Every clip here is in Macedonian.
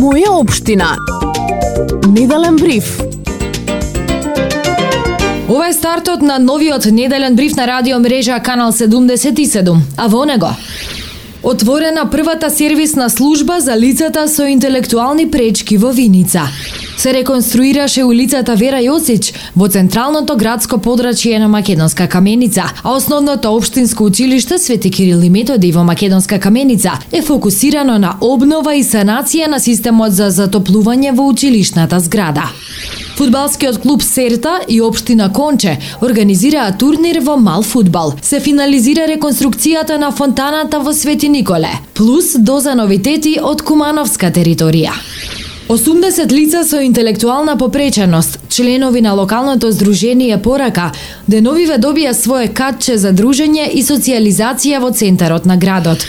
Моја општина. Неделен бриф. Ова е стартот на новиот неделен бриф на радио мрежа Канал 77, а во него отворена првата сервисна служба за лицата со интелектуални пречки во Виница. Се реконструираше улицата Вера Јосич во централното градско подрачје на Македонска Каменица, а основното општинско училиште Свети Кирил и Методи во Македонска Каменица е фокусирано на обнова и санација на системот за затоплување во училишната зграда. Фудбалскиот клуб Серта и општина Конче организираа турнир во мал фудбал. Се финализира реконструкцијата на фонтаната во Свети Николе, плюс доза новитети од Кумановска територија. 80 лица со интелектуална попреченост, членови на локалното здружение Порака, деновиве добија свое катче за дружење и социјализација во центарот на градот.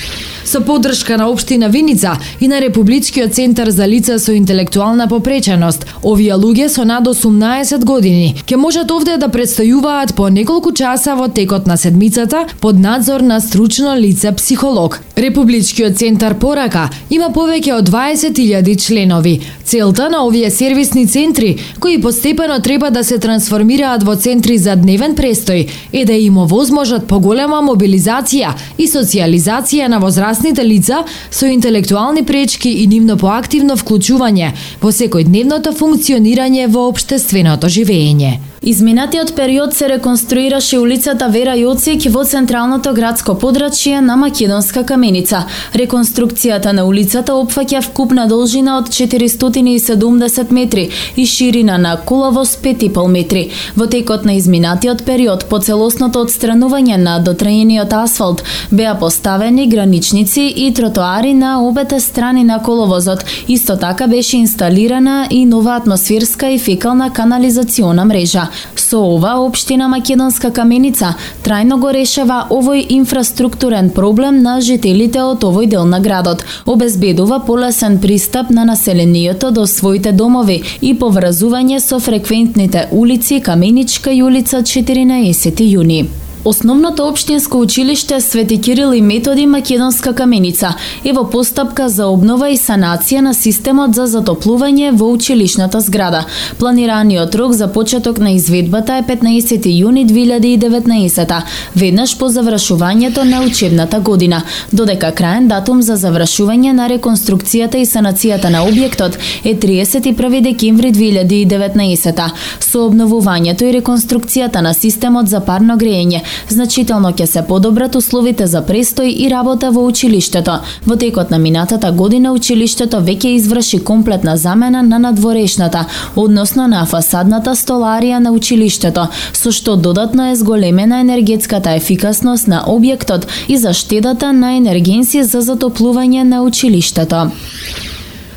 Со поддршка на општина Виница и на Републичкиот центар за лица со интелектуална попреченост, овие луѓе со над 18 години ќе можат овде да предстојуваат по неколку часа во текот на седмицата под надзор на стручно лице психолог. Републичкиот центар Порака има повеќе од 20.000 членови. Целта на овие сервисни центри, кои постепено треба да се трансформираат во центри за дневен престој, е да им овозможат поголема мобилизација и социјализација на возрастните лица со интелектуални пречки и нивно поактивно вклучување во секојдневното функционирање во општественото живење. Изминатиот период се реконструираше улицата Вера Јоцик во централното градско подрачје на Македонска Каменица. Реконструкцијата на улицата опфаќа вкупна должина од 470 метри и ширина на коловоз 5,5 метри. Во текот на изминатиот период, по целосното отстранување на дотраениот асфалт, беа поставени граничници и тротоари на обете страни на коловозот. Исто така беше инсталирана и нова атмосферска и фекална канализациона мрежа. Со ова, општина Македонска Каменица трајно го решава овој инфраструктурен проблем на жителите од овој дел на градот. Обезбедува полесен пристап на населението до своите домови и поврзување со фреквентните улици Каменичка и улица 14 јуни. Основното општинско училиште Свети Кирил и Методи Македонска Каменица е во постапка за обнова и санација на системот за затоплување во училишната зграда. Планираниот рок за почеток на изведбата е 15 јуни 2019, веднаш по завршувањето на учебната година, додека краен датум за завршување на реконструкцијата и санацијата на објектот е 31 декември 2019. Со обновувањето и реконструкцијата на системот за парно грејење значително ќе се подобрат условите за престој и работа во училиштето. Во текот на минатата година училиштето веќе изврши комплетна замена на надворешната, односно на фасадната столарија на училиштето, со што додатно е зголемена енергетската ефикасност на објектот и заштедата на енергенси за затоплување на училиштето.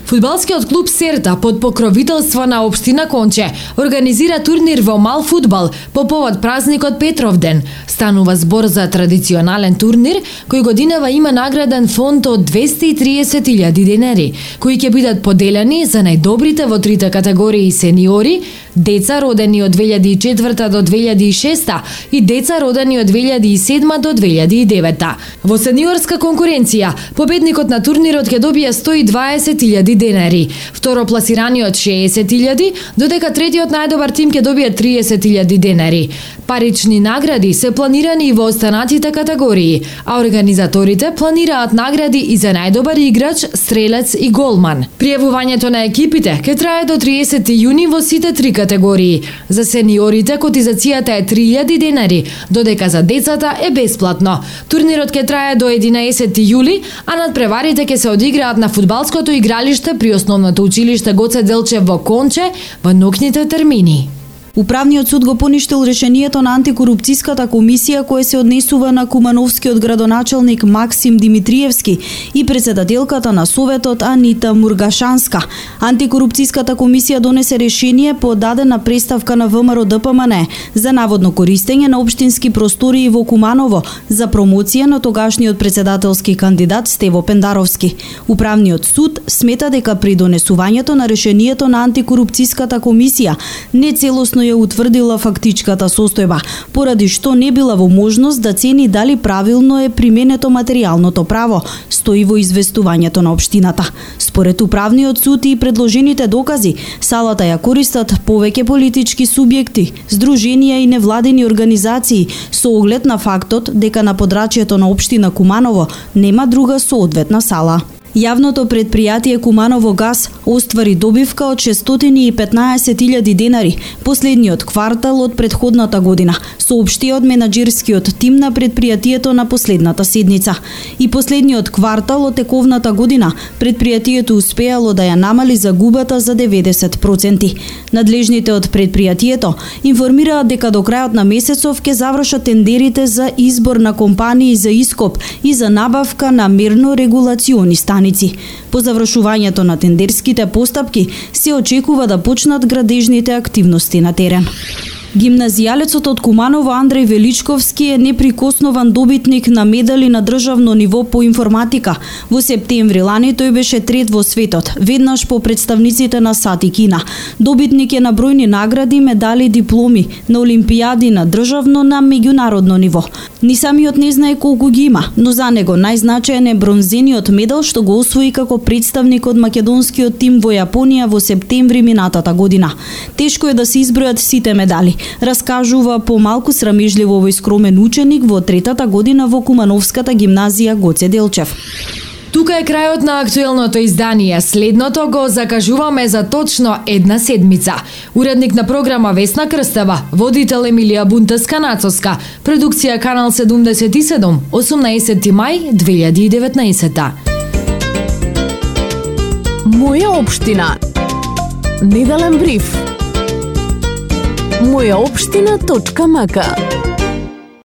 Фудбалскиот клуб Серта под покровителство на општина Конче организира турнир во мал фудбал по повод празникот Петровден. Станува збор за традиционален турнир кој годинава има награден фонд од 230.000 денари, кои ќе бидат поделени за најдобрите во трите категории сениори, деца родени од 2004 до 2006 и деца родени од 2007 до 2009. Во сениорска конкуренција, победникот на турнирот ќе добие 120.000 денари, второпласираниот 60.000, додека третиот најдобар тим ќе добие 30.000 денари. Парични награди се планирани и во останатите категории, а организаторите планираат награди и за најдобар играч, стрелец и голман. Пријавувањето на екипите ќе трае до 30 јуни во сите три категории. За сениорите котизацијата е 3.000 денари, додека за децата е бесплатно. Турнирот ќе трае до 11 јули, а надпреварите ќе се одиграат на фудбалското игралиште при основното училиште Гоце Делчев во Конче во ноќните термини. Управниот суд го поништил решението на антикорупцијската комисија која се однесува на кумановскиот градоначалник Максим Димитриевски и председателката на Советот Анита Мургашанска. Антикорупцијската комисија донесе решение по дадена преставка на ВМРО ДПМН за наводно користење на општински простории во Куманово за промоција на тогашниот председателски кандидат Стево Пендаровски. Управниот суд смета дека при донесувањето на решението на антикорупцијската комисија нецелосно ја утврдила фактичката состојба, поради што не била во можност да цени дали правилно е применето материјалното право, стои во известувањето на општината. Според управниот суд и предложените докази, салата ја користат повеќе политички субјекти, здруженија и невладени организации со оглед на фактот дека на подрачјето на општина Куманово нема друга соодветна сала. Јавното предпријатие Куманово газ оствари добивка од 615.000 денари последниот квартал од претходната година, соопшти од менаџерскиот тим на предпријатието на последната седница. И последниот квартал од тековната година предпријатието успеало да ја намали загубата за 90%. Надлежните од предпријатието информираат дека до крајот на месецов ќе завршат тендерите за избор на компании за ископ и за набавка на мерно-регулациони станици. По завршувањето на тендерските постапки се очекува да почнат градежните активности на терен. Гимназијалецот од Куманово Андреј Величковски е неприкоснован добитник на медали на државно ниво по информатика. Во септември лани тој беше трет во светот, веднаш по представниците на САД и Кина. Добитник е на бројни награди, медали, дипломи на олимпијади на државно, на меѓународно ниво. Ни самиот не знае колку ги има, но за него најзначаен е бронзениот медал што го освои како представник од македонскиот тим во Јапонија во септември минатата година. Тешко е да се избројат сите медали, раскажува помалку срамежливо овој скромен ученик во третата година во Кумановската гимназија Гоце Делчев. Тука е крајот на актуелното издание. Следното го закажуваме за точно една седмица. Уредник на програма Весна Крстева, водител Емилија Бунтеска-Нацоска, продукција Канал 77, 18 мај 2019. Моја општина. Неделен бриф. Мојаопштина.мк